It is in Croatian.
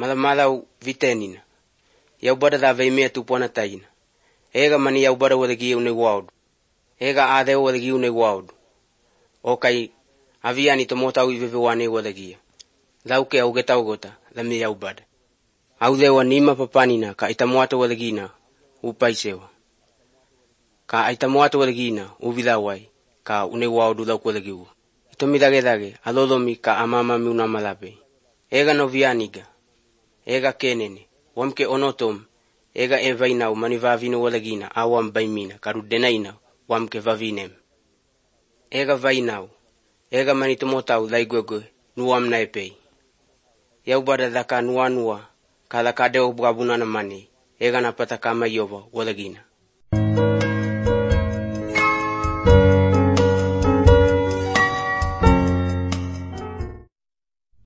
Malamalau vitenina. Yaubada da veimea tupona taina. Ega mani yaubada wadagi une waudu. Ega adeo wadagi une waudu. Okai aviani tomotau ivevewane wadagia. Lauke augetau gota, lami yaubada. Audewa nima papanina ka itamuata wadagina upaisewa. Ka itamuata wadagina uvilawai ka une waudu lau wadagiwa. Itomidage alolomi ka amama miuna malape. Ega novianiga. Ega kenene. Wamke onotom. Ega evainau manivavino wadagina awam baimina karu denaina wamke vavinem. Ega vainau. Ega manitomotau laigwegwe nuam naepei. Yaubada daka nuanua ka daka deo bwabunana mani. Ega napata kama yoba wadagina.